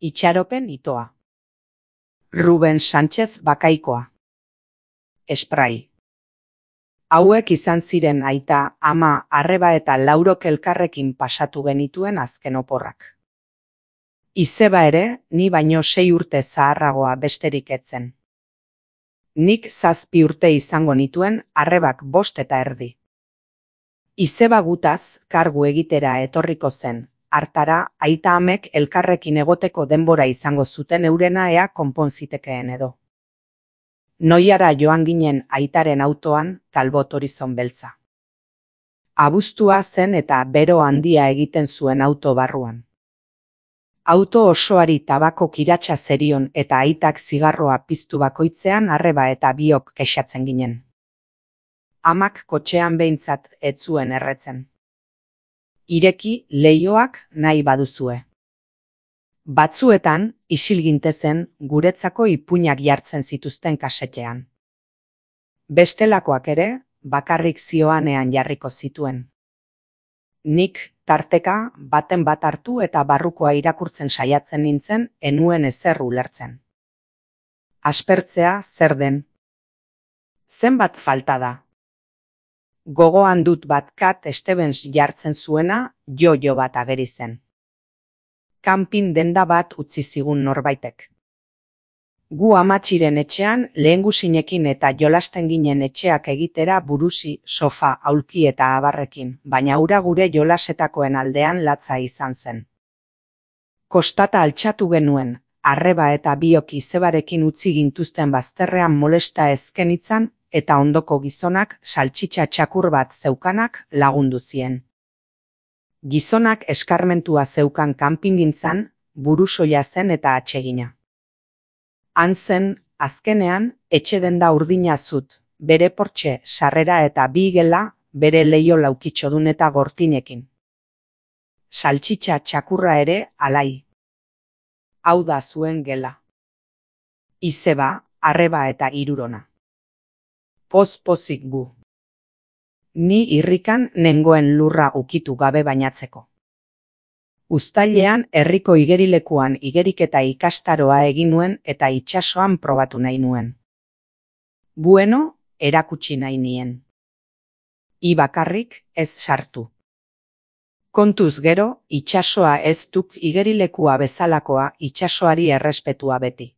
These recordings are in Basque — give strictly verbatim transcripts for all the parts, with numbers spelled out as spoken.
Itxaropen itoa. Ruben Sánchez Bakaikoa. Esprai. Hauek izan ziren aita, ama, arreba eta laurok elkarrekin pasatu genituen azken oporrak. Izeba ere, ni baino sei urte zaharragoa besterik etzen. Nik zazpi urte izango nituen, arrebak bost eta erdi. Izeba gutaz, kargu egitera etorriko zen, hartara, aita amek elkarrekin egoteko denbora izango zuten eurena ea konponzitekeen edo. Noiara joan ginen aitaren autoan, Talbot Horizon beltza. Abuztua zen eta bero handia egiten zuen auto barruan. Auto osoari tabako kiratsa zerion eta aitak zigarroa piztu bakoitzean arreba eta biok kexatzen ginen. Amak kotxean behintzat ez zuen erretzen. Ireki leihoak nahi baduzue. Batzuetan, isil gintezen, guretzako ipuinak jartzen zituzten kasetean. Bestelakoak ere, bakarrik zioanean jarriko zituen. Nik, tarteka, baten bat hartu eta barrukoa irakurtzen saiatzen nintzen, enuen ezer ulertzen. Aspertzea zer den. Zenbat falta da. Gogoan dut bat Cat Stevens jartzen zuena, jo-jo bat ageri zen. Kanpin denda bat utzi zigun norbaitek. Gu amatxiren etxean lehengusinekin eta jolasten ginen etxeak egitera burusi, sofa, aulki eta abarrekin, baina ura gure jolasetakoen aldean latza izan zen. Kostata altxatu genuen, arreba eta biok izebarekin utzi gintuzten bazterrean molesta ezkenitzan, eta ondoko gizonak saltxitxa txakur bat zeukanak lagundu zien. Gizonak eskarmentua zeukan kanpingintzan, burusoia zen eta atsegina. Han zen, azkenean, etxe denda urdina zut, bere portxe, sarrera eta bi gela, bere leio laukitxodun eta gortinekin. Saltxitxa txakurra ere, alai. Hau da zuen gela. Izeba, arreba eta hirurona. Poz-pozik gu. Ni irrikan nengoen lurra ukitu gabe bainatzeko. Uztailean herriko igerilekuan igeriketa ikastaroa egin nuen eta itsasoan probatu nahi nuen. Bueno, erakutsi nahi nien. I bakarrik ez sartu. Kontuz gero, itsasoa ez duk igerilekua bezalakoa itsasoari errespetua beti.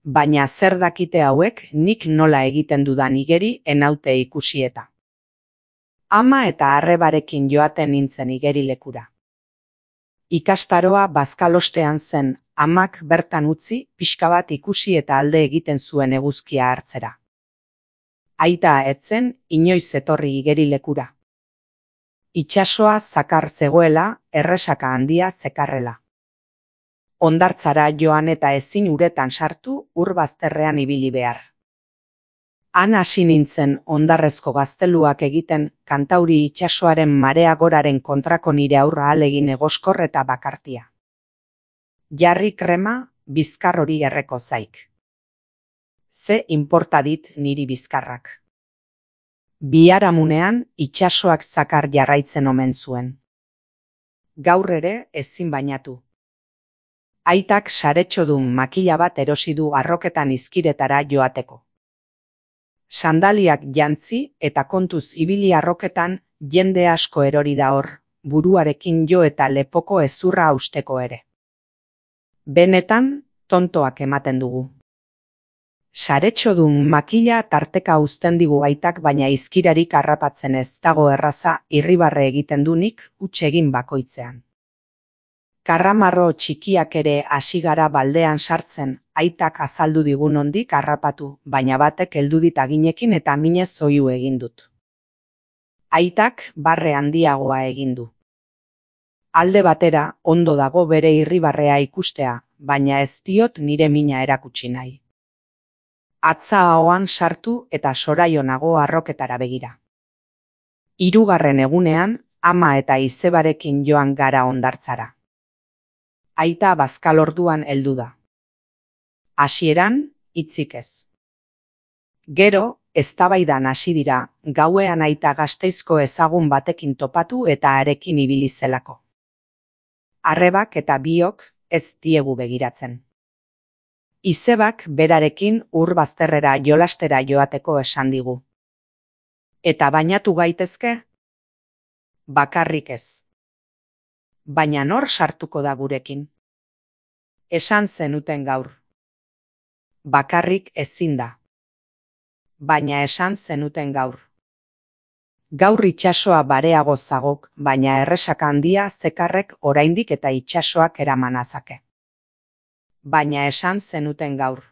Baina zer dakite hauek nik nola egiten dudan igeri enaute ikusieta. Ama eta arrebarekin joaten nintzen igerilekura. Ikastaroa bazkalostean zen, amak bertan utzi, pixka bat ikusi eta alde egiten zuen eguzkia hartzera. Aita etzen, inoiz etorri igerilekura. Itsasoa zakar zegoela, erresaka handia zekarrela. Hondartzara joan eta ezin uretan sartu, ur bazterrean ibili behar. Han hasi nintzen hondarrezko gazteluak egiten Kantauri itsasoaren marea goraren kontrako nire aurra ahalegin egoskor eta bakartia. Jarri krema, bizkar hori erreko zaik. Ze inporta dit niri bizkarrak. Biharamunean itsasoak zakar jarraitzen omen zuen. Gaur ere ezin bainatu. Aitak saretxodun makila bat erosi du arroketan izkiretara joateko. Sandaliak jantzi eta kontuz ibili arroketan jende asko erori da hor, buruarekin jo eta lepoko ezurra hausteko ere. Benetan, tontoak ematen dugu. Saretxodun makila tarteka uzten digu aitak baina izkirarik harrapatzen ez dago erraza irribarre egiten dunik huts egin bakoitzean. Karramarro txikiak ere hasi gara baldean sartzen, aitak azaldu digun ondik harrapatu, baina batek heldu dit aginekin eta minez oihu egin dut. Aitak barre handiagoa egin du. Alde batera, ondo dago bere irribarrea ikustea, baina ez diot nire mina erakutsi nahi. Atza ahoan sartu eta soraio nago arroketara begira. Hirugarren egunean, ama eta izebarekin joan gara hondartzara. Aita bazkalorduan heldu da. Hasieran, hitzik ez. Gero, eztabaidan hasi dira, gauean aita Gasteizko ezagun batekin topatu eta harekin ibili zelako. Arrebak eta biok, ez diegu begiratzen. Izebak berarekin ur bazterrera jolastera joateko esan digu. Eta bainatu gaitezke? Bakarrik ez. Baina nor sartuko da gurekin? Esan zenuten gaur. Bakarrik ezin da. Baina esan zenuten gaur. Gaur itsasoa bareago zagok, baina erresaka handia zekarrek oraindik eta itsasoak eramanazake. Baina esan zenuten gaur.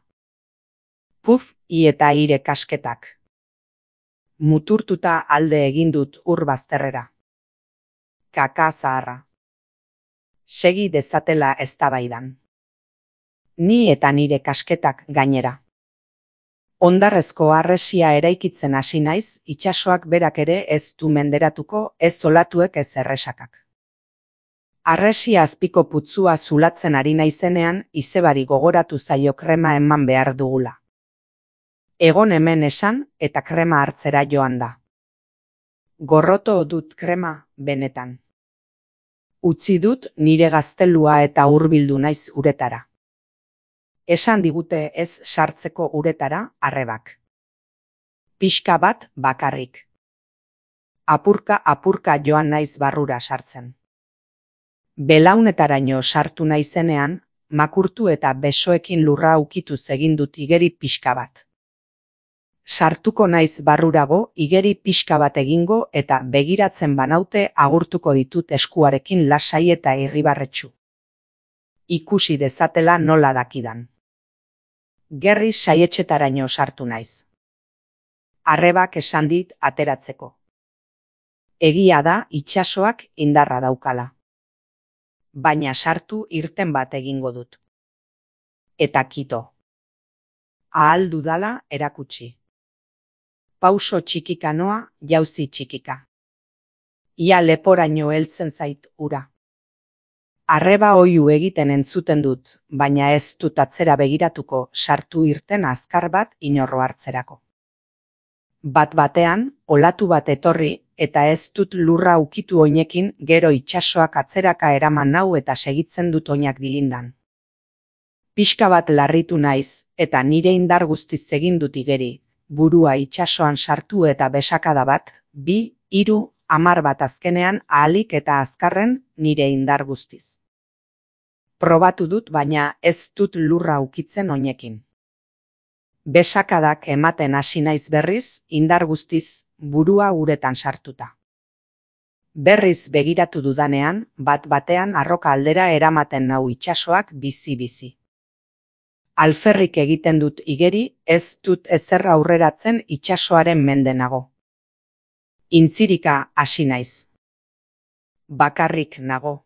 Puf, i eta ire kasketak. Muturtuta alde egin dut ur bazterrera. Kaka zaharra. Segi dezatela eztabaidan. Ni eta nire kasketak gainera. Hondarrezko harresia eraikitzen hasi naiz, itsasoak berak ere ez du menderatuko, ez olatuek ez erresakak. Harresia azpiko putzua zulatzen ari naizenean, izebari gogoratu zaio krema eman behar dugula. Egon hemen esan eta krema hartzera joan da. Gorroto dut krema, benetan. Utzi dut nire gaztelua eta hurbildu naiz uretara. Esan digute ez sartzeko uretara arrebak. Pixka bat bakarrik. Apurka apurka joan naiz barrura sartzen. Belaunetaraino sartu naizenean, makurtu eta besoekin lurra ukituz egin dut igeri pixka bat. Sartuko naiz barrurago, igeri pixka bat egingo eta begiratzen banaute agurtuko ditut eskuarekin lasai eta irribarretsu. Ikusi dezatela nola dakidan. Gerri saietxetaraino sartu naiz. Arrebak esan dit ateratzeko. Egia da itsasoak indarra daukala. Baina sartu irten bat egingo dut. Eta kito. Ahal dudala erakutsi. Pauso txikika noa, jauzi txikika. Ia leporaino heltzen zait ura. Arreba oihu egiten entzuten dut, baina ez dut atzera begiratuko sartu irten azkar bat inorro hartzerako. Bat batean, olatu bat etorri, eta ez dut lurra ukitu oinekin gero itsasoak atzeraka eraman nau eta segitzen dut oinak dilindan. Pixka bat larritu naiz, eta nire indar guztiz egin dut igeri, burua itsasoan sartu eta besakada bat, bi, hiru, hamar bat azkenean ahalik eta azkarren nire indar guztiz. Probatu dut baina ez dut lurra ukitzen oinekin. Besakadak ematen hasi naiz berriz, indar guztiz, burua uretan sartuta. Berriz begiratu dudanean, bat batean arroka aldera eramaten nau itsasoak bizi-bizi. Alferrik egiten dut igeri, ez dut ezer aurreratzen itsasoaren mende nago. Intzirika hasi naiz. Bakarrik nago.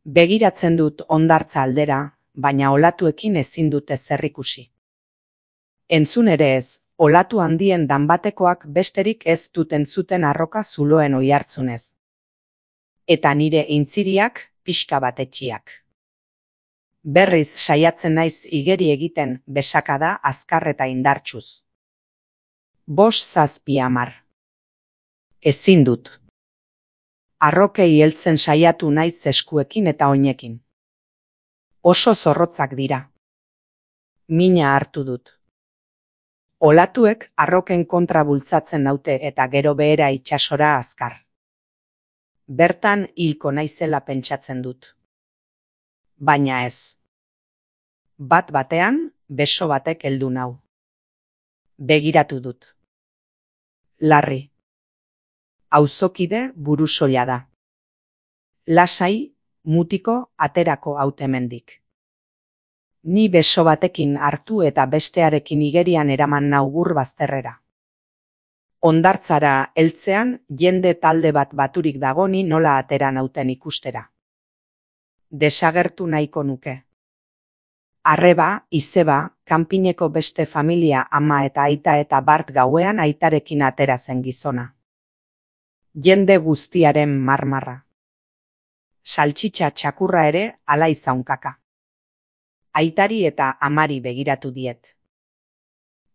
Begiratzen dut hondartza aldera, baina olatuekin ezin dut ezer ikusi. Entzun ere ez, olatu handien danbatekoak besterik ez dut entzuten arroka zuloen oihartzunez. Eta nire intziriak pixka bat etxiak. Berriz saiatzen naiz igeri egiten besakada azkar eta indartsuz. Bost zazpi hamar. Ezin dut. Arrokei heltzen saiatu naiz eskuekin eta oinekin. Oso zorrotzak dira. Mina hartu dut. Olatuek arroken kontra bultzatzen naute eta gero behera itsasora azkar. Bertan hilko naizela pentsatzen dut. Baina ez. Bat batean, beso batek heldu nau. Begiratu dut. Larri. Auzokide burusoila da. Lasai, mutiko, aterako hautemendik. Ni beso batekin hartu eta bestearekin igerian eraman nau ur bazterrera. Hondartzara heltzean jende talde bat baturik dagoni nola atera nauten ikustera. Desagertu nahiko nuke. Arreba, izeba, kanpineko beste familia ama eta aita eta bart gauean aitarekin atera zen gizona. Jende guztiaren marmarra. Saltxitxa txakurra ere ala izaunkaka. Aitari eta amari begiratu diet.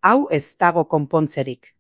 Hau ez dago konpontzerik.